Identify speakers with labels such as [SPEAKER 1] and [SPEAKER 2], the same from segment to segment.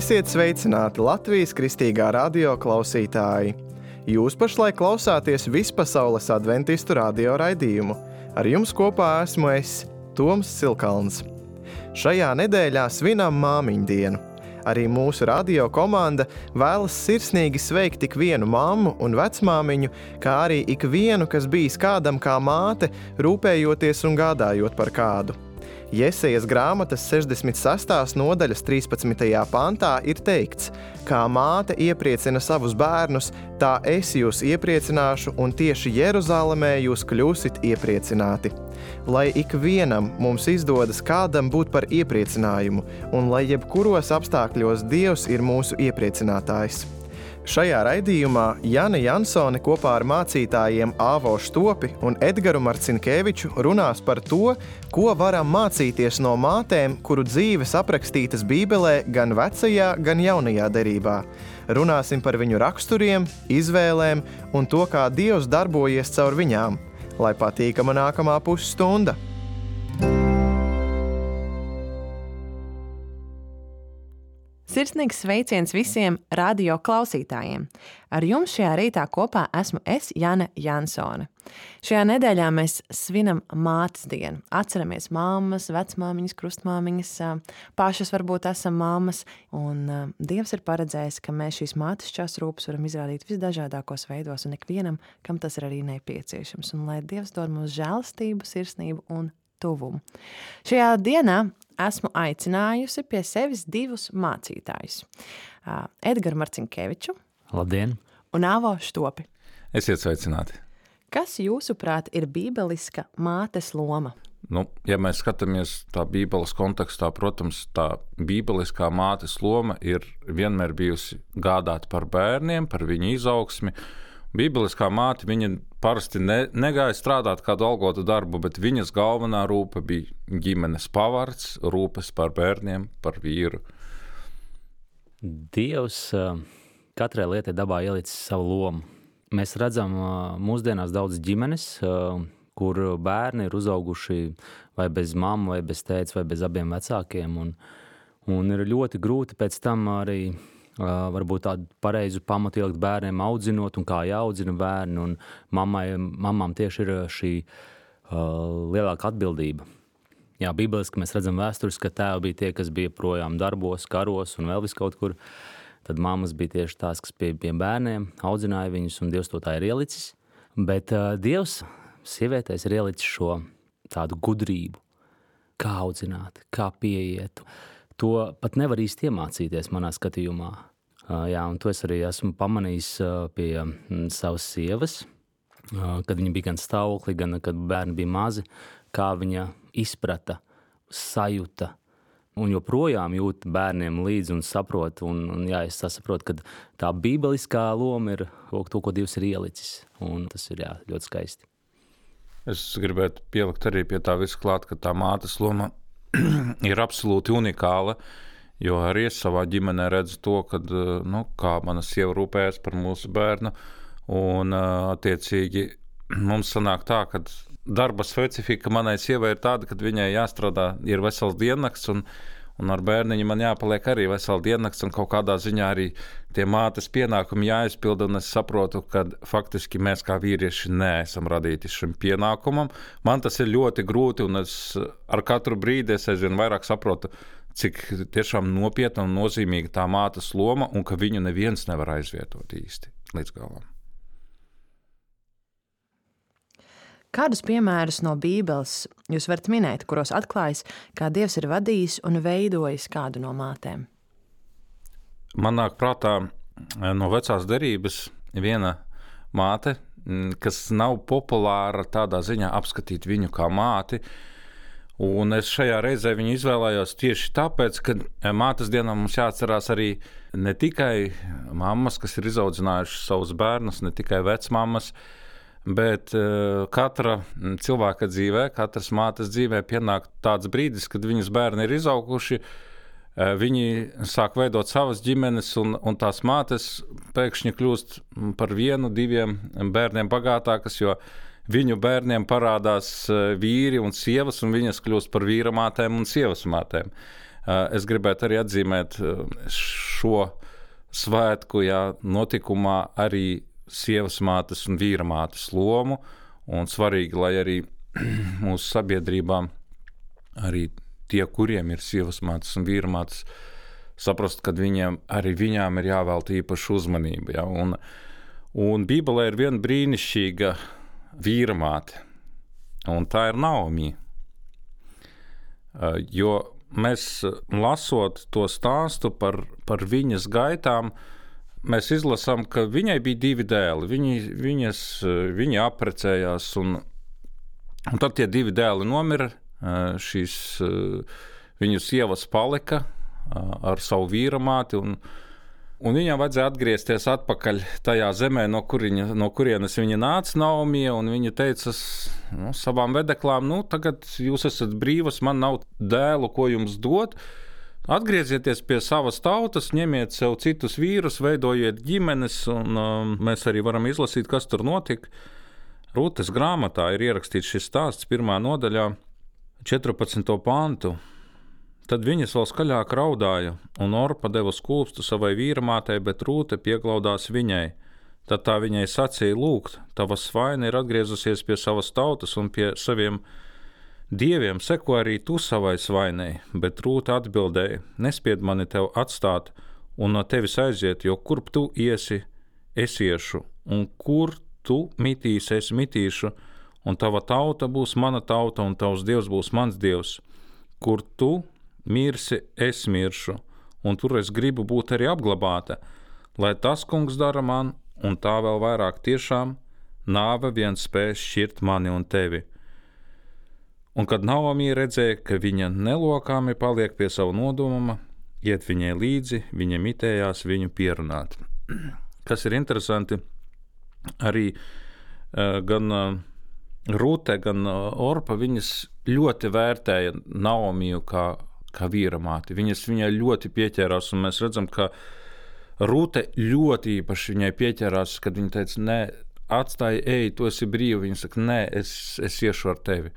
[SPEAKER 1] Esiet sveicināti Latvijas Kristīgā radio klausītāji! Jūs pašlaik klausāties Vispasaules adventistu radio raidījumu. Ar jums kopā esmu es, Toms Silkalns. Šajā nedēļā svinam māmiņu dienu. Arī mūsu radio komanda vēlas sirsnīgi sveikt ikvienu mammu un vecmāmiņu, kā arī ikvienu, kas bijis kādam kā māte, rūpējoties un gādājot par kādu. Jesejas grāmatas 66. nodaļas 13. pantā ir teikts: kā māte iepriecina savus bērnus, tā es jūs iepriecināšu, un tieši Jeruzalemē jūs kļūsit iepriecināti. Lai ikvienam mums izdodas kādam būt par iepriecinājumu, un lai jebkuros apstākļos Dievs ir mūsu iepriecinātājs. Šajā raidījumā Jana Jansone kopā ar mācītājiem Āvo Štopi un Edgaru Marcinkeviču runās par to, ko varam mācīties no mātēm, kuru dzīves aprakstītas Bībelē gan vecajā, gan jaunajā derībā. Runāsim par viņu raksturiem, izvēlēm un to, kā Dievs darbojies caur viņām. Lai patīkama nākamā pusstunda!
[SPEAKER 2] Sirsnīgs sveiciens visiem radio klausītājiem. Ar jums šajā rītā kopā esmu es, Jana Jansone. Šajā nedēļā mēs svinam mātes dienu. Atceramies mammas, vecmāmiņas, krustmāmiņas, pašas varbūt esam mammas. Un Dievs ir paredzējis, ka mēs šīs mātišķās rūpes varam izrādīt visdažādākos veidos un ikvienam, kam tas ir arī nepieciešams. Un lai Dievs dod mums žēlastību, sirsnību un tuvumu. Šajā dienā esmu aicinājusi pie sevis divus mācītājus. Edgaru Marcinkeviču.
[SPEAKER 3] Labdien!
[SPEAKER 2] Un Āvo Štopi.
[SPEAKER 4] Esiet sveicināti!
[SPEAKER 2] Kas jūsuprāt ir bībeliska mātes loma?
[SPEAKER 4] Ja mēs skatāmies tā bībeles kontekstā, protams, tā bībeliskā mātes loma ir vienmēr bijusi gādāt par bērniem, par viņu izaugsmi. Bībeliskā māte, viņa parasti negāja strādāt kādu algotu darbu, bet viņas galvenā rūpe bija ģimenes pavards, rūpes par bērniem, par vīru.
[SPEAKER 3] Dievs katrai lietai dabā ielicis savu lomu. Mēs redzam mūsdienās daudz ģimenes, kur bērni ir uzauguši vai bez mammu, vai bez tētes, vai bez abiem vecākiem. Un ir ļoti grūti pēc tam arī varbūt tādu pareizu pamatu ielikt bērniem audzinot un kā jāaudzina bērni, un mamām tieši ir šī lielāka atbildība. Jā, bībeliski mēs redzam vēsturiski, ka tēvi bija tie, kas bija projām darbos, karos un vēl viskaut kur. Tad mammas bija tieši tās, kas pie bērniem audzināja viņus, un Dievs to tā ir ielicis. Bet Dievs sievietēs ir ielicis šo tādu gudrību, kā audzināt, kā pieiet. To pat nevar īsti iemācīties manā skatījumā. Jā, un to es arī esmu pamanījis pie savas sievas, kad viņa bija gan stāvokli, gan kad bērni bija mazi, kā viņa izprata, sajuta un joprojām jūt bērniem līdzi un saprot. Un jā, es saprotu, ka tā bībeliskā loma ir to, ko Dievs ir ielicis. Un tas ir ļoti skaisti.
[SPEAKER 4] Es gribētu pielikt arī pie tā visu klāt, ka tā mātes loma ir absolūti unikāla, jo arī es savā ģimenē redzu to, kad, kā mana sieva rūpējas par mūsu bērnu, un attiecīgi mums sanāk tā, ka darba specifika manai sievai ir tāda, ka viņai jāstrādā, ir vesels diennakts, un ar bērniņu man jāpaliek arī vesels diennakts, un kaut kādā ziņā arī tie mātes pienākumi jāizpilda, un es saprotu, ka faktiski mēs kā vīrieši neesam radīti šim pienākumam. Man tas ir ļoti grūti, un es ar katru brīdi es aizvien vairāk saprotu, cik tiešām nopietna un nozīmīga tā mātes loma, un ka viņu neviens nevar aizvietot īsti līdz galam.
[SPEAKER 2] Kādus piemērus no Bībeles jūs varat minēt, kuros atklājas, kā Dievs ir vadījis un veidojis kādu no mātēm?
[SPEAKER 4] Man nāk prātā no vecās derības viena māte, kas nav populāra tādā ziņā apskatīt viņu kā māti, un es šajā reizē viņu izvēlējos tieši tāpēc, ka mātes dienā mums jāatcerās arī ne tikai mammas, kas ir izaudzinājušas savus bērnus, ne tikai vecmammas, bet katra cilvēka dzīvē, katras mātes dzīvē pienāk tāds brīdis, kad viņas bērni ir izauguši, viņi sāk veidot savas ģimenes, un tās mātes pēkšņi kļūst par 1-2 bērniem bagātākas, jo viņu bērniem parādās vīri un sievas, un viņas kļūst par vīra mātēm un sievas mātēm. Es gribētu arī atzīmēt šo svētku notikumā arī sievas mātes un vīra mātes lomu, un svarīgi, lai arī mūsu sabiedrībā arī tie, kuriem ir sievas mātes un vīra mātes, saprast, ka viņām ir jāvelta īpaša uzmanība. Ja? Un Bībelē ir viena brīnišķīga vīra māte, un tā ir Naomi. Jo mēs, lasot to stāstu par viņas gaitām, mēs izlasām, ka viņai bija 2 dēli. Viņi apprecējās, un tad tie 2 dēli nomira. Viņu sievas palika ar savu vīra māti, un viņam vajadzēja atgriezties atpakaļ tajā zemē, no kurienes viņa nāca, Naomi, un viņa teica savām vedeklām, tagad jūs esat brīvas, man nav dēlu, ko jums dot, atgriezieties pie savas tautas, ņemiet sev citus vīrus, veidojiet ģimenes, un mēs arī varam izlasīt, kas tur notika. Rūtes grāmatā ir ierakstīts šis stāsts 1. nodaļā, 14. pantu. Tad viņas vēl skaļāk raudāja, un Orpa deva skūpstu savai vīramātei, bet Rūte pieglaudās viņai. Tad tā viņai sacīja, lūgt, tava svaina ir atgriezusies pie savas tautas un pie saviem dieviem, seko arī tu savai svainai, bet Rūte atbildēja, nespied mani tev atstāt un no tevis aiziet, jo kurp tu iesi, es iešu, un kur tu mitīsi, es mitīšu, un tava tauta būs mana tauta, un tavs dievs būs mans dievs. Kur tu mirsi, es miršu, un tur es gribu būt arī apglabāta, lai tas kungs dara man, un tā vēl vairāk tiešām, nāve vien spēs šķirt mani un tevi. Un kad Naomi redzēja, ka viņa nelokāmi paliek pie savu nodoma, iet viņai līdzi, viņa mitējās viņu pierunāt. Kas ir interesanti, arī gan Rūte, gan Orpa, viņas ļoti vērtēja Naomiju kā vīramāti. Viņai ļoti pieķērās, un mēs redzam, ka Rūte ļoti īpaši viņai pieķērās, kad viņa teica, nē, atstāj, ej, tu esi brīva. Viņa saka, nē, es iešu ar tevi.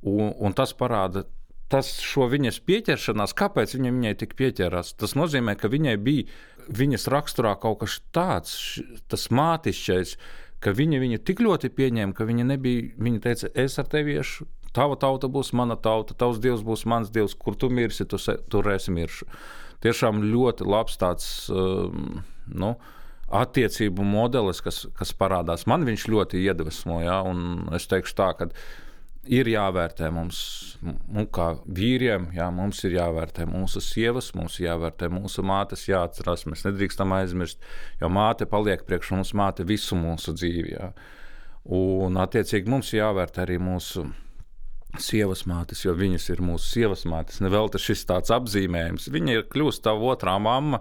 [SPEAKER 4] Un tas parāda, šo viņas pieķeršanās, kāpēc viņai tik pieķērās. Tas nozīmē, ka viņai bija viņas raksturā kaut kas tāds, tas mātišķais, ka viņa tik ļoti pieņēma, ka viņa teica, es ar tevi iešu, tava tauta būs mana tauta, tavs dievs būs mans dievs, kur tu mirsi, tur es miršu. Tiešām ļoti labs tāds, attiecību modelis, kas parādās. Man viņš ļoti iedvesmo, un es teikšu tā, ka ir jāvērtē mums, kā vīriem, mums ir jāvērtē mūsu sievas, mums ir jāvērtē mūsu mātes, jāatcerās, mēs nedrīkstam aizmirst, jo māte paliek priekš mums, māte visu mūsu dzīvi, Un attiecīgi mums jāvērtē arī mūsu sievas mātes, jo viņas ir mūsu sievas mātes. Nevēl tas šis tāds apzīmējums. Viņa ir kļūst tava otrā mamma,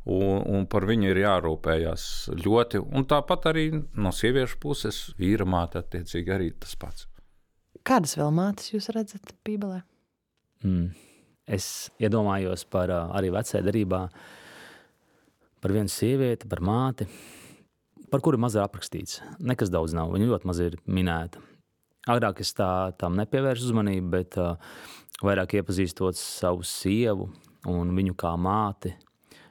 [SPEAKER 4] un par viņu ir jārūpējās ļoti. Un tāpat arī no sieviešu puses vīra māte attiecīgi arī tas pats.
[SPEAKER 2] Kādas vēl mātes jūs redzat Bībelē?
[SPEAKER 3] Es iedomājos par arī vecajā derībā par vienu sievieti, par māti, par kuru maz ir aprakstīts. Nekas daudz nav, viņa ļoti maz ir minēta. Agrāk es tam nepievēršu uzmanību, bet vairāk iepazīstot savu sievu un viņu kā māti,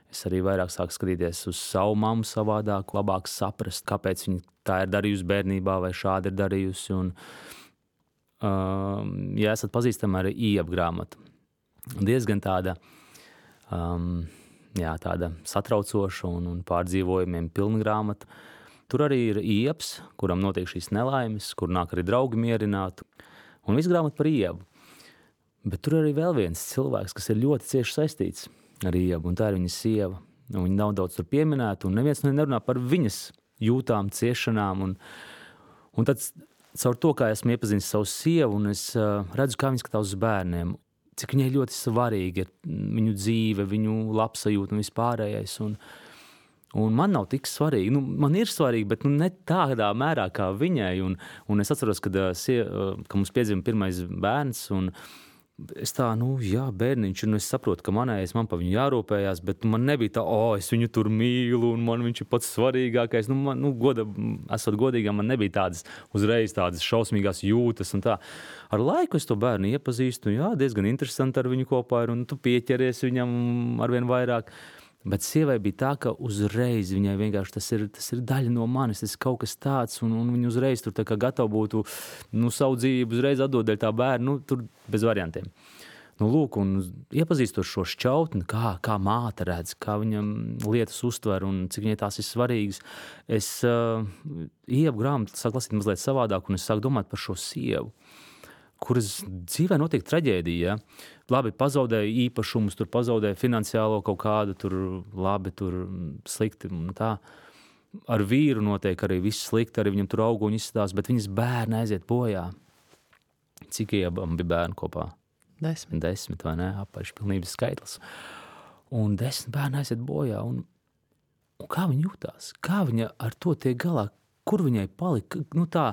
[SPEAKER 3] es arī vairāk sāku skatīties uz savu mammu savādāk, labāk saprast, kāpēc viņa tā ir darījusi bērnībā vai šādi ir darījusi. Un, ja esat pazīstami ar Iebu grāmatu, diezgan tāda satraucoša un pārdzīvojumiem pilna grāmata. Tur arī ir Iebs, kuram notiek šīs nelaimes, kur nāk arī draugi mierināt, un viss grāmata par Iebu. Bet tur arī vēl viens cilvēks, kas ir ļoti cieši saistīts ar Iebu, un tā ir viņa sieva. Viņa nav daudz tur pieminēta, un neviens nerunā par viņas jūtām, ciešanām, un tad caur to, kā esmu iepazinis savu sievu, un es redzu, kā viņa skatās uz bērniem, cik viņai ļoti svarīgi ir viņu dzīve, viņu labsajūta un vispārējais. Un man nav tik svarīgi. Man ir svarīgi, bet ne tādā mērā kā viņai. Un es atceros, kad mums piedzima pirmais bērns, un es tā, bērniņš, un es saprotu, ka man pa viņu jārūpējās, bet man nebija tā, es viņu tur mīlu, un man viņš ir pats svarīgākais. Esot godīgam, man nebija tādas uzreiz tādas šausmīgās jūtas un tā. Ar laiku es to bērnu iepazīstu, diezgan interesanti ar viņu kopā ir, un tu pieķeries viņam arvien vairāk. Bet sievai bija tā, ka uzreiz viņai vienkārši tas ir daļa no manis, tas ir kaut kas tāds, un viņa uzreiz tur tā kā gatava būtu, savu dzīvību uzreiz atdot dēļ tā bērnu, tur bez variantiem. Lūk, un iepazīstot šo šķautni, kā māte redz, kā viņam lietas uztver un cik viņai tās ir svarīgas, es ieepu grāmatu, sāku lasīt mazliet savādāk, un es sāku domāt par šo sievu, kuras dzīvē notiek traģēdija. Labi, pazaudēja īpašumus, tur pazaudēja finansiālo kaut kādu, tur labi, tur slikti un tā. Ar vīru notiek arī viss slikti, arī viņam tur auguņi izstās, bet viņas bērni aiziet bojā. Cik iebam bija bērni kopā?
[SPEAKER 2] 10,
[SPEAKER 3] vai ne? Apaļš pilnības skaitlis. Un 10 bērni aiziet bojā. Un kā viņa jutās? Kā viņa ar to tiek galā? Kur viņai palika? Tā...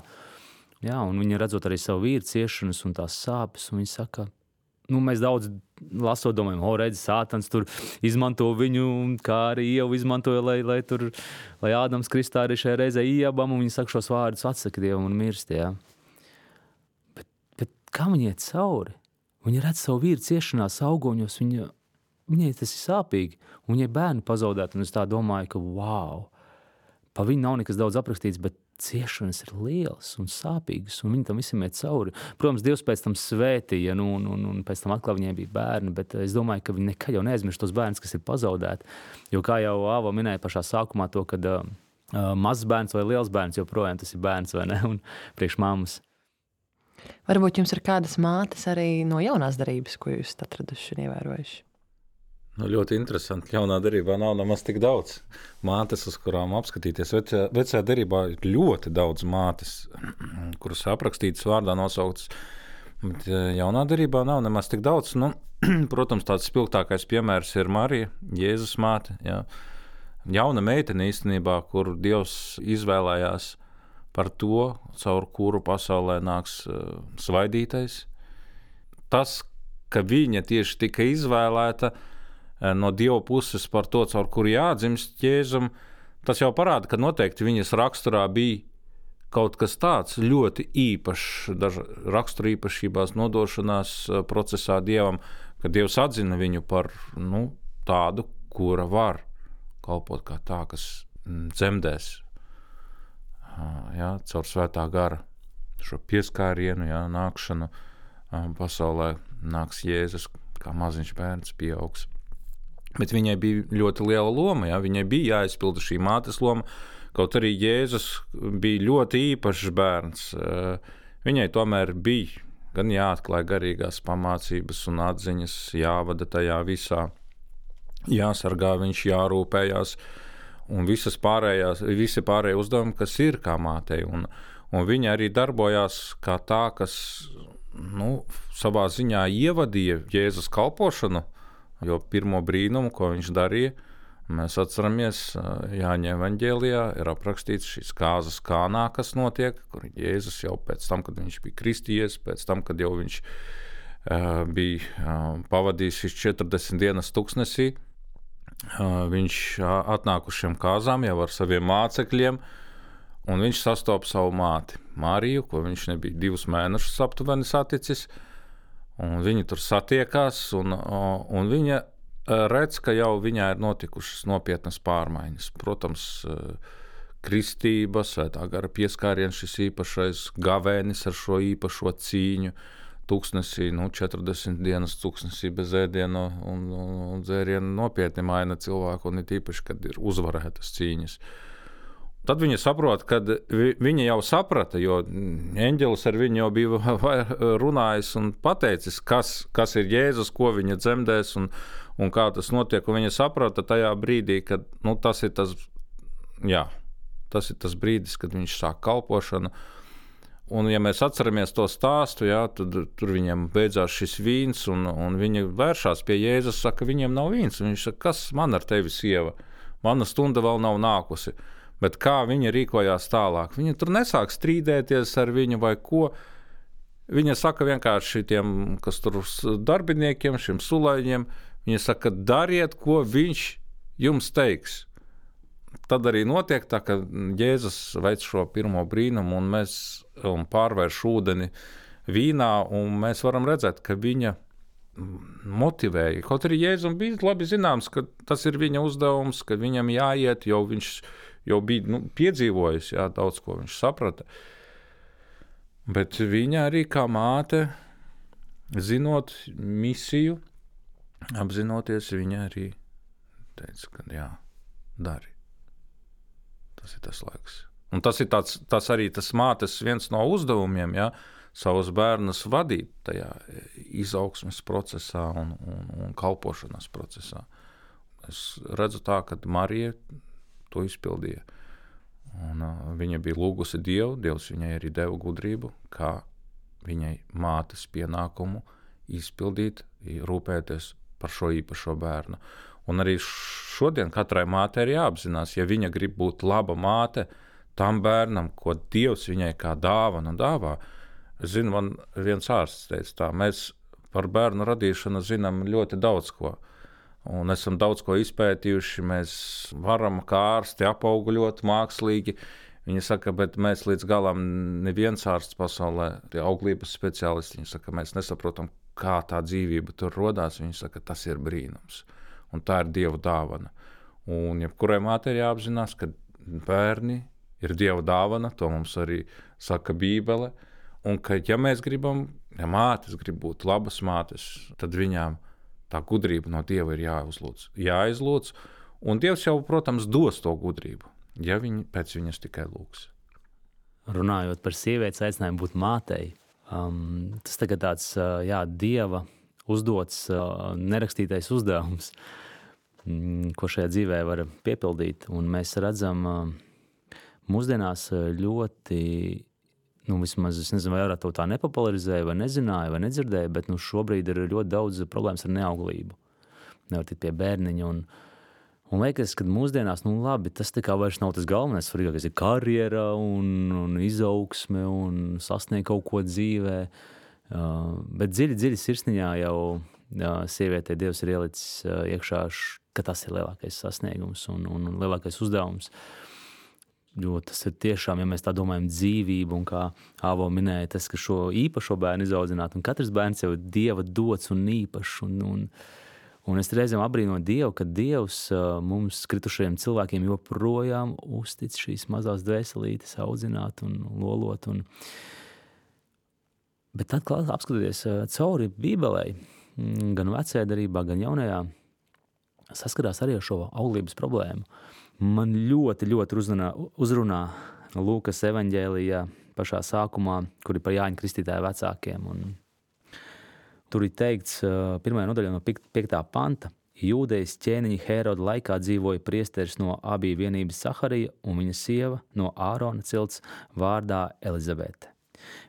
[SPEAKER 3] Jā, un viņa redzot arī savu vīru ciešanas un tās sāpes, un viņa saka, mēs daudz lasot domājam, redzi, Sātans tur izmanto viņu, kā arī Ievu izmantoja, lai Ādams Kristā arī šajā reizē iebam, un viņa saka šos vārdus, atsaka Dievam un mirst, jā. Bet kā viņa iet cauri? Viņa redz savu vīru ciešanās augoņos, viņai tas ir sāpīgi, un viņai bērni pazaudēt, un es tā domāju, ka wow, pa viņu nav nekas daudz aprakstīts, bet ciešanas ir lielas un sāpīgas, un viņi tam visam iet cauri. Protams, Dievs pēc tam svētīja, un pēc tam atkal viņai bija bērni, bet es domāju, ka viņi nekad jau neaizmirst tos bērnus, kas ir pazaudēti. Jo kā jau Āva minēja pašā sākumā to, kad mazs bērns vai liels bērns joprojām tas ir bērns, vai ne, un priekš mammas.
[SPEAKER 2] Varbūt jums ir kādas mātes arī no jaunās darības, ko jūs atraduši un ievērojuši?
[SPEAKER 4] Ļoti interesanti. Jaunā derībā nav nemaz tik daudz mātes, uz kurām apskatīties. Vecajā derībā ir ļoti daudz mātes, kuras aprakstītas vārdā nosauktas. Bet jaunā derībā nav nemaz tik daudz. Protams, tāds spilgtākais piemērs ir Marija, Jēzus māte. Jā. Jauna meitene īstenībā, kur Dievs izvēlējās par to, caur kuru pasaulē nāks svaidītais. Tas, ka viņa tieši tika izvēlēta no Dieva puses par to, caur kuru jādzimst Jēzum, tas jau parāda, ka noteikti viņas raksturā bija kaut kas tāds ļoti īpašs, rakstura īpašībās nodošanās procesā Dievam, ka Dievs atzina viņu par tādu, kura var kalpot kā tā, kas dzemdēs caur svētā gara šo pieskārienu, nākšanu pasaulē nāks Jēzus, kā maziņš bērns pieaugs. Bet viņai bija ļoti liela loma, viņai bija jāizpilda šī mātes loma, kaut arī Jēzus bija ļoti īpašs bērns. Viņai tomēr bija gan jāatklāj garīgās pamācības un atziņas, jāvada tajā visā, jāsargā viņš, jārūpējās, un visi pārējie uzdevumi, kas ir kā mātei. Un viņa arī darbojās kā tā, kas savā ziņā ievadīja Jēzus kalpošanu, jo pirmo brīnumu, ko viņš darīja, mēs atceramies Jāņa evaņģēlijā, ir aprakstīts šīs kāzas Kānā, kas notiek, kur Jēzus jau pēc tam, kad viņš bija kristījies, pēc tam, kad jau viņš bija pavadījis šīs 40 dienas tuksnesī, viņš atnāk uz šiem kāzām jau ar saviem mācekļiem, un viņš sastopa savu māti Mariju, ko viņš nebija 2 mēnešus aptuveni saticis, un viņi tur satiekās, un viņa redz, ka jau viņā ir notikušas nopietnas pārmaiņas. Protams, kristība, svētā gara pieskāriens, šis īpašais gavēnis ar šo īpašo cīņu, tuksnesī, 40 dienas tuksnesī bez ēdiena un dzēriena nopietni maina cilvēku, un ir īpaši, kad ir uzvarētas cīņas. Tad viņa saprot, kad viņa jau saprata, jo eņģelis ar viņu jau bija runājis un pateicis, kas ir Jēzus, ko viņa dzemdēs un kā tas notiek. Un viņa saprata tajā brīdī, kad tas ir tas brīdis, kad viņš sāk kalpošanu. Un ja mēs atceramies to stāstu, tad tur viņiem beidzās šis vīns, un viņi vēršās pie Jēzus, saka, viņiem nav vīns. Un viņš saka, kas man ar tevi, sieva? Mana stunda vēl nav nākusi. Bet kā viņa rīkojās tālāk? Viņa tur nesāk strīdēties ar viņu vai ko. Viņa saka vienkārši tiem, kas tur darbiniekiem, šiem sulaiņiem, viņa saka, dariet, ko viņš jums teiks. Tad arī notiek tā, ka Jēzus veic šo pirmo brīnumu un pārvērš ūdeni vīnā, un mēs varam redzēt, ka viņa motivēja. Kaut arī Jēzum bija labi zināms, ka tas ir viņa uzdevums, ka viņam jāiet, jo viņš jau bija piedzīvojis, daudz ko viņš saprata. Bet viņa arī kā māte, zinot misiju, apzinoties, viņa arī teica, ka dari. Tas ir tas laiks. Un tas ir tas arī tas mātes viens no uzdevumiem, savus bērnus vadīt tajā izaugsmes procesā un kalpošanas procesā. Es redzu tā, ka Marija to izpildīja. Un viņa bija lūgusi Dievu, Dievs viņai arī deva gudrību, kā viņai mātes pienākumu izpildīt, rūpēties par šo īpašo bērnu. Un arī šodien katrai mātei ir jāapzinās, ja viņa grib būt laba māte tam bērnam, ko Dievs viņai kā dāvana dāvā. Es zinu, man viens ārsts teica tā, mēs par bērnu radīšanu zinām ļoti daudz ko. Un esam daudz ko izpētījuši, mēs varam kā ārsti apauguļot mākslīgi. Viņi saka, bet mēs līdz galam neviens ārsts pasaulē, tie auglības speciālisti, viņi saka, mēs nesaprotam, kā tā dzīvība tur rodās. Viņi saka, tas ir brīnums. Un tā ir Dieva dāvana. Un jebkurai mātei ir jāapzinās, ka bērni ir Dieva dāvana, to mums arī saka Bībele, un ka, ja mēs gribam, ja mātes grib būt labas mātes, tad viņām tā gudrība no Dieva ir jāizlūdz, un Dievs jau, protams, dos to gudrību, ja viņi pēc viņas tikai lūgs.
[SPEAKER 3] Runājot par sievietes aicinājumu būt mātei, tas tagad tāds, Dieva uzdots nerakstītais uzdevums, ko šajā dzīvē var piepildīt. Un mēs redzam mūsdienās ļoti, vismaz es nezinu, vai arī to tā nepopularizēja, vai nezināja, vai nedzirdēja, bet šobrīd ir ļoti daudz problēmas ar neauglību. Nevar tikt pie bērniņa. Un liekas, ka mūsdienās, labi, tas tā kā vairs nav tas galvenais, svarīgākais ir karjera un izaugsme un sasniegt kaut ko dzīvē. Bet dziļi sirsniņā jau sievietei Dievs ir ielicis iekšā, ka tas ir lielākais sasniegums un lielākais uzdevums. Jo tas ir tiešām, ja mēs tā domājam, dzīvību, un kā Āvo minēja, tas, ka šo īpašo bērnu izaudzināt, un katrs bērns jau ir Dieva dots un īpašs, un es reizēm apbrīnoju Dievu, ka Dievs mums kritušajiem cilvēkiem joprojām uztic šīs mazās dvēselītes audzināt un lolot, bet tad, apskatoties cauri Bībelei, gan vecajā darbā, gan jaunajā, saskarās arī ar šo auglības problēmu. Man ļoti uzrunā Lūkas evaņģēlijā pašā sākumā, kur ir par Jāņa Kristītāja vecākiem. Un tur ir teikts, 1. nodaļā no 5. panta, Jūdejas ķēniņa Hēroda laikā dzīvoja priesteris no Abija vienības Saharija un viņa sieva no Ārona cilts vārdā Elizabete.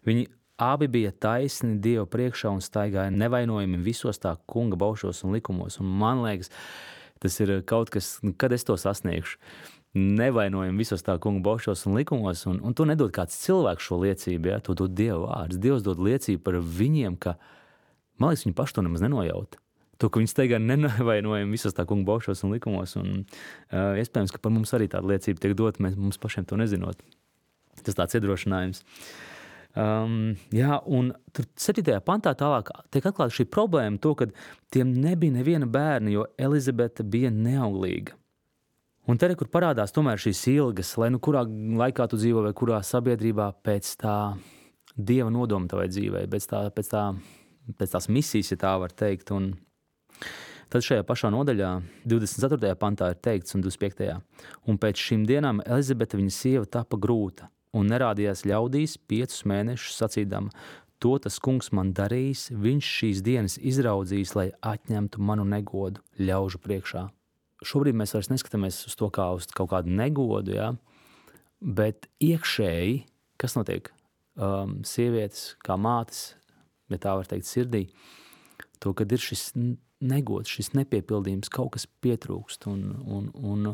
[SPEAKER 3] Viņi abi bija taisni Dieva priekšā un staigāja nevainojami visos tā kunga baušos un likumos. Un man liekas, tas ir kaut kas, kad es to sasniegšu. Nevainojami visos tā kunga baušos un likumos, un to nedod kāds cilvēks šo liecību, to dod Dieva vārds. Dievs dod liecību par viņiem, ka, man liekas, viņi paši to nemaz nenojauta. To, ka viņi staigā nevainojami visos tā kunga baušos un likumos, un iespējams, ka par mums arī tāda liecība tiek dot, mums pašiem to nezinot. Tas tāds iedrošinājums. Un tur 7. pantā tālāk tiek atklāta šī problēma, to, ka tiem nebija neviena bērna, jo Elizabete bija neauglīga. Un te, kur parādās tomēr šīs ilgas, lai kurā laikā tu dzīvo vai kurā sabiedrībā pēc tā Dieva nodoma tavai dzīvei, pēc tās misijas, ja tā var teikt. Un tad šajā pašā nodaļā 24. pantā ir teikts un 25. Un pēc šīm dienām Elizabete, viņa sieva, tapa grūta. Un nerādījās ļaudīs 5 mēnešus sacīdama, to tas kungs man darījis, viņš šīs dienas izraudzījis, lai atņemtu manu negodu ļaužu priekšā. Šobrīd mēs vairs neskatāmies uz to kā uz kaut kādu negodu, bet iekšēji, kas notiek? Sievietes kā mātes, ja tā var teikt sirdī, to, kad ir šis negods, šis nepiepildījums, kaut kas pietrūkst. Un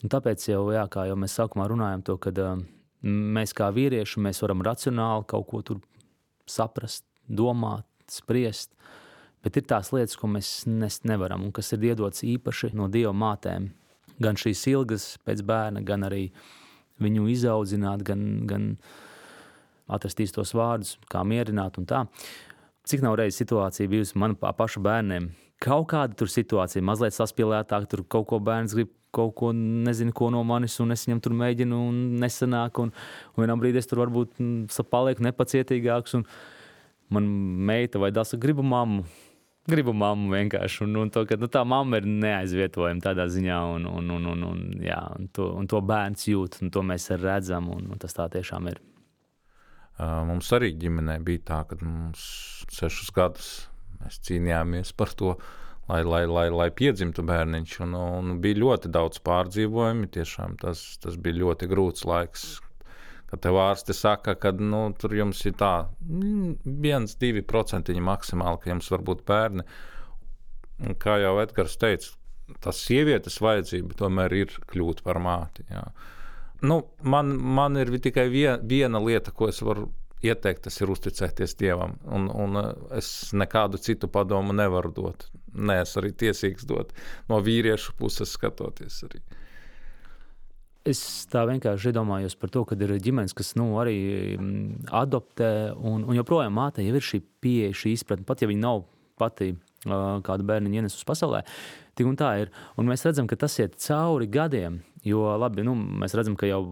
[SPEAKER 3] tāpēc jau, kā jau mēs sākumā runājam to, kad mēs kā vīrieši, mēs varam racionāli kaut ko tur saprast, domāt, spriest, bet ir tās lietas, ko mēs nevaram un kas ir iedots īpaši no Dieva mātēm. Gan šīs ilgas pēc bērna, gan arī viņu izaudzināt, gan atrast īstos vārdus, kā mierināt un tā. Cik nav reiz situācija bijusi man pašu bērniem? Kaut kāda tur situācija, mazliet saspīlētāk, tur kaut ko bērns grib, kaut ko nezinu, ko no manis, un es viņam tur mēģinu un nesanāk, un vienā brīdī es tur varbūt palieku nepacietīgāks, un man meita vai dāsa gribu mammu vienkārši, un to, ka tā mamma ir neaizvietojama tādā ziņā, un to bērns jūt, un to mēs redzam, un tas tā tiešām ir.
[SPEAKER 4] Mums arī ģimenē bija tā, ka mums 6 gadus mēs cīnījāmies par to, lai piedzimtu bērniņš, un bija ļoti daudz pārdzīvojumi, tiešām tas bija ļoti grūts laiks, kad tev ārsti saka, ka tur jums ir tā 1-2% maksimāli, ka jums var būt bērni. Un kā jau Edgars teica, tas sievietes vajadzība tomēr ir kļūt par māti. Jā. Man ir tikai viena lieta, ko es varu ieteikt, tas ir uzticēties Dievam. Un es nekādu citu padomu nevaru dot. Nē, es arī tiesīgs dot no vīriešu puses skatoties arī.
[SPEAKER 3] Es tā vienkārši iedomājos par to, kad ir ģimenes, kas arī adoptē, un joprojām mātei jau ir šī pieeja, šī izpratne, pat ja viņa nav pati kādu bērniņu ienes uz pasaulē, tik un tā ir. Un mēs redzam, ka tas iet cauri gadiem, jo labi, mēs redzam, ka jau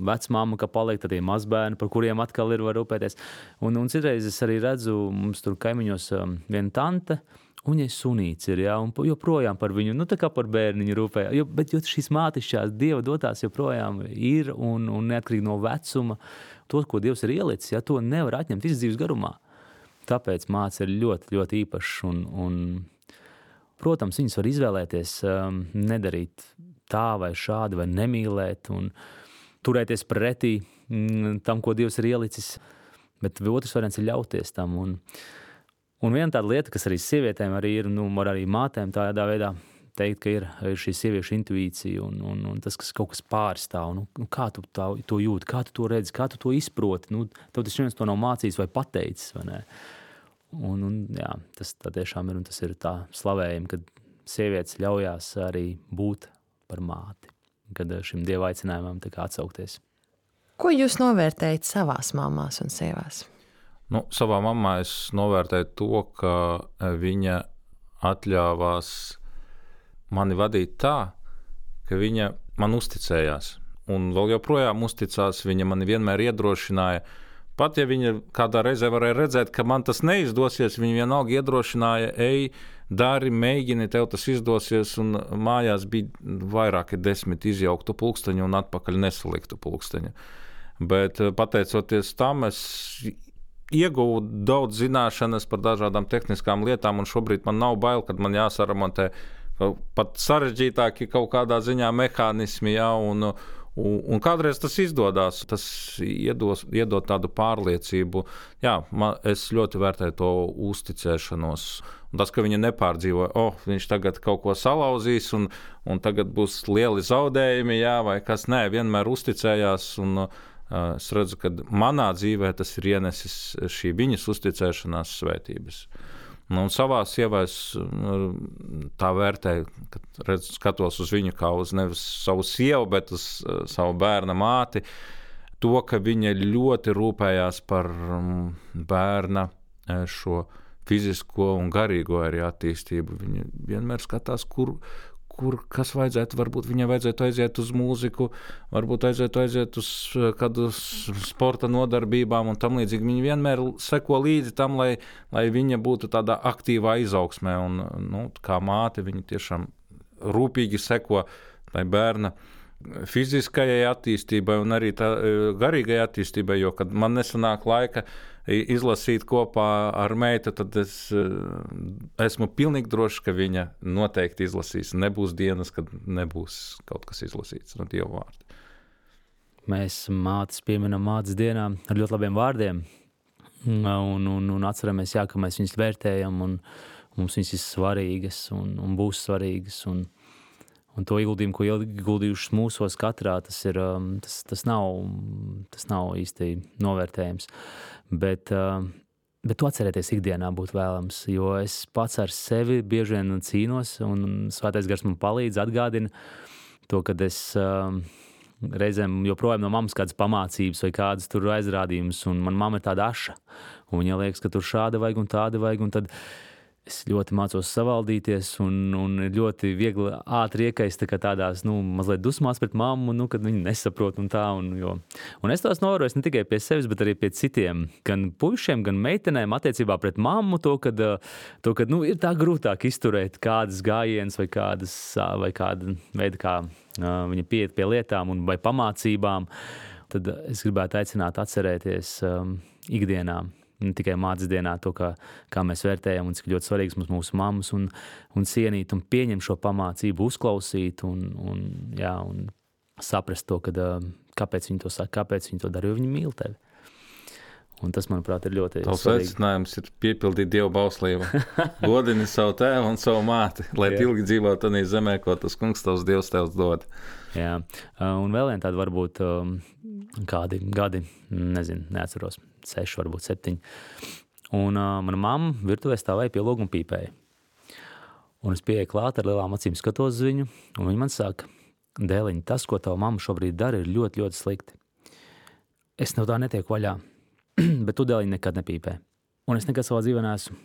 [SPEAKER 3] vecmāma, ka paliek tādie mazbērni, par kuriem atkal var rūpēties. Un citreiz es arī redzu, mums tur kaimiņos viena tante, un viņai sunīts ir, un joprojām par viņu, tā kā par bērniņu rūpēja. Bet šīs mātišķās Dieva dotās joprojām ir, un neatkarīgi no vecuma, to, ko Dievs ir ielicis, to nevar atņemt visu dzīves garumā. Tāpēc mātes ir ļoti, ļoti īpašs, un protams, viņas var izvēlēties nedarīt tā vai šādi, vai nemīlēt, un turēties pretī tam, ko Dievs ir ielicis, bet otrs variants ir ļauties tam, Un viena tāda lieta, kas arī sievietēm arī ir, var arī mātēm tādā veidā teikt, ka ir šī sieviešu intuīcija un tas, kas kaut kas pārstāv. Kā tu to jūti, kā tu to redzi, kā tu to izproti? Tev tas viens to nav mācījis vai pateicis, vai ne? Jā, tas tā tiešām ir, un tas ir tā slavējumi, kad sievietes ļaujās arī būt par māti, kad šim Dieva aicinājumam tā kā atsaukties.
[SPEAKER 2] Ko jūs novērtējat savās mamās un sievās?
[SPEAKER 4] Savā mammā es novērtēju to, ka viņa atļāvās mani vadīt tā, ka viņa man uzticējās. Un vēl joprojām uzticās, viņa mani vienmēr iedrošināja. Pat ja viņa kādā reizē varēja redzēt, ka man tas neizdosies, viņa vienalga iedrošināja, ej, dari, mēģini, tev tas izdosies. Un mājās bija vairāki 10 izjauktu pulksteņu un atpakaļ nesaliktu pulksteņu. Bet pateicoties tam, es ieguvu daudz zināšanas par dažādām tehniskām lietām, un šobrīd man nav bail, kad man jāsaramontē pat sarežģītāki kaut kādā ziņā mehānismi, un kādreiz tas izdodas. Tas iedod tādu pārliecību. Jā, es ļoti vērtēju to uzticēšanos. Un tas, ka viņa nepārdzīvoja, viņš tagad kaut ko salauzīs, un tagad būs lieli zaudējumi, vai kas, nē, vienmēr uzticējās, un es redzu, ka manā dzīvē tas ir ienesis šī viņas uzticēšanās svētības. Un savā sievā es tā vērtēju, kad skatos uz viņu kā uz nevis savu sievu, bet uz savu bērna māti, to, ka viņa ļoti rūpējās par bērna šo fizisko un garīgo arī attīstību. Viņa vienmēr skatās, kas vajadzētu, varbūt viņai vajadzētu aiziet uz mūziku, varbūt aiziet uz kādu sporta nodarbībām un tam līdzīgi. Viņa vienmēr seko līdzi tam, lai viņa būtu tādā aktīvā izaugsmē. Un, kā māte, viņa tiešām rūpīgi seko tai bērna fiziskajai attīstībai un arī tā garīgai attīstībai, jo, kad man nesanāk laika izlasīt kopā ar meitu, tad es esmu pilnīgi drošs, ka viņa noteikti izlasīs. Nebūs dienas, kad nebūs kaut kas izlasīts no Dieva vārda.
[SPEAKER 3] Mēs mātes pieminam mātes dienā ar ļoti labiem vārdiem un atceramies, ka mēs viņus vērtējam un mums viņas ir svarīgas un būs svarīgas un to ieguldījumu, ko ieguldījušas mūsos katrā, tas nav īsti novērtējams. Bet Bet to atcerēties ikdienā būtu vēlams, jo es pats ar sevi bieži vien cīnos, un Svētais Gars man palīdz, atgādina to, kad es reizēm joprojām no mammas kādas pamācības vai kādas tur aizrādījumus, un man mamma ir tāda aša, un viņa liekas, ka tur šāda vajag un tāda vajag, un tad es ļoti mācos savaldīties, un ir ļoti viegli ātri iekaist tādās, mazliet dusmās pret mammu, kad viņi nesaprot un tā. Un es tās novēroju ne tikai pie sevis, bet arī pie citiem, gan puišiem, gan meitenēm attiecībā pret mammu, kad ir tā grūtāk izturēt kādas gājienas vai kāda veida, kā viņa pieiet pie lietām vai pamācībām. Tad es gribētu aicināt atcerēties ikdienā, ne tikai mātes dienā, to, kā mēs vērtējam un cik ļoti svarīgs mums mūsu mammas un cienīt un pieņemt šo pamācību, uzklausīt un saprast to, kāpēc viņi to saka, kāpēc viņi to dara, jo viņi mīl tevi. Un tas, manuprāt, ir ļoti
[SPEAKER 4] Tavs
[SPEAKER 3] svarīgi.
[SPEAKER 4] aicinājums ir piepildīt Dievu bauslību. Godini savu tēvu un savu māti, lai ilgi dzīvot tādā zemē, ko tas kungs tavs Dievs tev dod.
[SPEAKER 3] Jā, un vēl viena tāda varbūt kādi gadi, neatceros, 6, varbūt 7. Un mana mamma virtuvē stāvēja pie loga un pīpēja. Un es pieeju klāt ar lielām acīm skatos uz viņu, un viņa man saka, Dēliņ, tas, ko tava mamma šobrīd dara, ir ļoti, ļoti slikti. Es no tā netieku vaļā, bet tu, Dēliņ, nekad nepīpē. Un es nekad savā dzīvē neesmu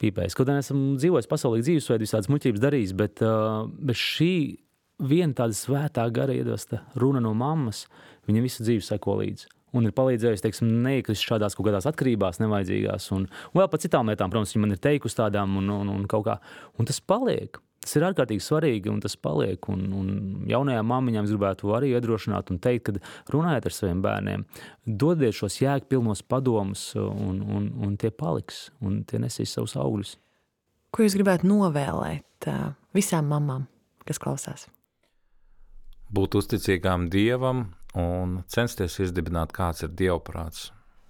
[SPEAKER 3] pīpējis. Kaut arī esmu dzīvojis pasaulīgi dzīvesveidu, visādas muļķības darījis, bet šī viena tāda svētā gara iedvesta runa no mammas, viņa visu dzīvi seko līdzi. Un ir palīdzējusi, neiekrist šādās kaut kādās atkarībās nevajadzīgās. Un vēl par citām lietām, protams, viņa man ir teikusi tādām un kaut kā. Un tas paliek. Tas ir ārkārtīgi svarīgi un tas paliek. Un jaunajām mammiņām es gribētu arī iedrošināt un teikt, kad runājiet ar saviem bērniem, dodiet šos jēgpilnos padomus un tie paliks un tie nesīs savus augļus.
[SPEAKER 2] Ko jūs gribētu novēlēt visām mamām, kas klausās?
[SPEAKER 4] Būt uzticīgām Dievam un censties izdibināt, kāds ir Dievprāts.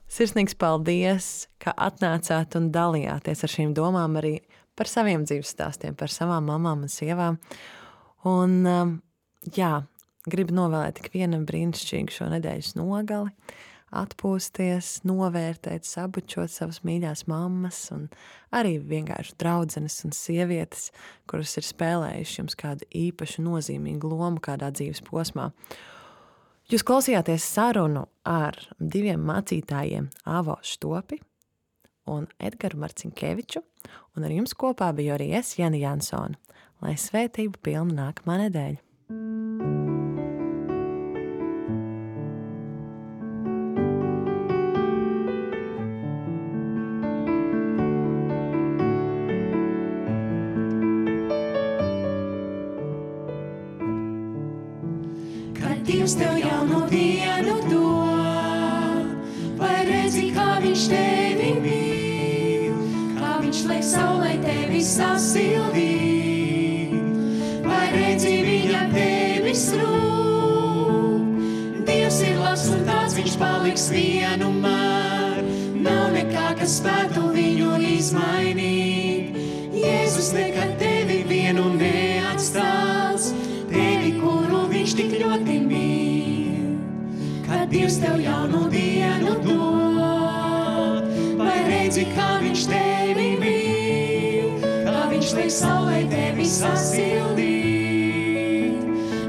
[SPEAKER 2] Sirsnīgs paldies, ka atnācāt un dalījāties ar šīm domām arī par saviem dzīves stāstiem, par savām mamām un sievām. Un, gribu novēlēt ikvienam brīnišķīgu šo nedēļas nogali, atpūsties, novērtēt, sabučot savas mīļās mammas un arī vienkārši draudzenes un sievietes, kuras ir spēlējuši jums kādu īpašu nozīmīgu lomu kādā dzīves posmā. Jūs klausījāties sarunu ar 2 mācītājiem Avo Štopi un Edgaru Marcinkeviču, un ar jums kopā biju arī es, Jana Jansone. Lai svētība pilna nākamā nedēļa!
[SPEAKER 5] Dievs tev jaunu dienu dod, vai redzi, kā viņš tevi mīl, kā viņš liek saulē tevi sasildīt, vai redzi, viņa tevis rūp. Dievs ir labs un tāds viņš paliks vienmēr, nav nekā, kas spētu viņu izmainīt. Jēzus nekad tevi vienu neatstās, tevi, kuru viņš tik ļoti mīl. Kad Dievs tev jaunu dienu dod, vai redzi, kā viņš tevi mīl, kā viņš liek saulē tevi sasildīt,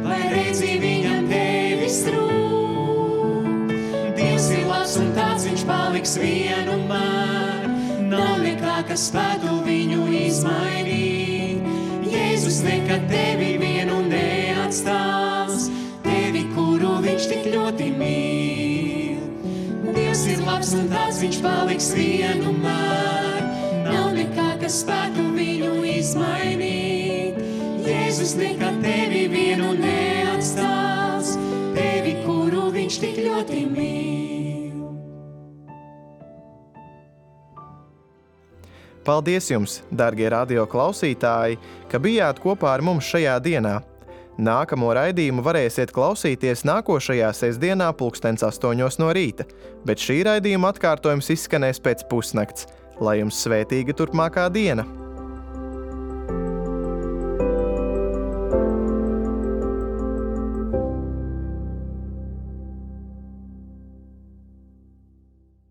[SPEAKER 5] vai redzi, viņam tevis rūp. Dievs ir labs un tāds viņš paliks vienmēr, nav nekā, kas spētu viņu izmainīt. Jēzus nekad tevi vienu neatstās, tevi, kuru viņš tik ļoti mīl. Dievs ir labs un tāds viņš paliks vienmēr, nav nekā, kas spētu viņu izmainīt. Jēzus nekad tevi vienu neatstās, tevi, kuru viņš tik ļoti mīl.
[SPEAKER 1] Paldies jums, darbie radio klausītāji, ka bijāt kopā ar mums šajā dienā. Nākamo raidījumu varēsiet klausīties nākošajā sestdienā 8:00 no rīta, bet šī raidījuma atkārtojums izskanēs pēc pusnakts. Lai jums svētīga turpmākā diena!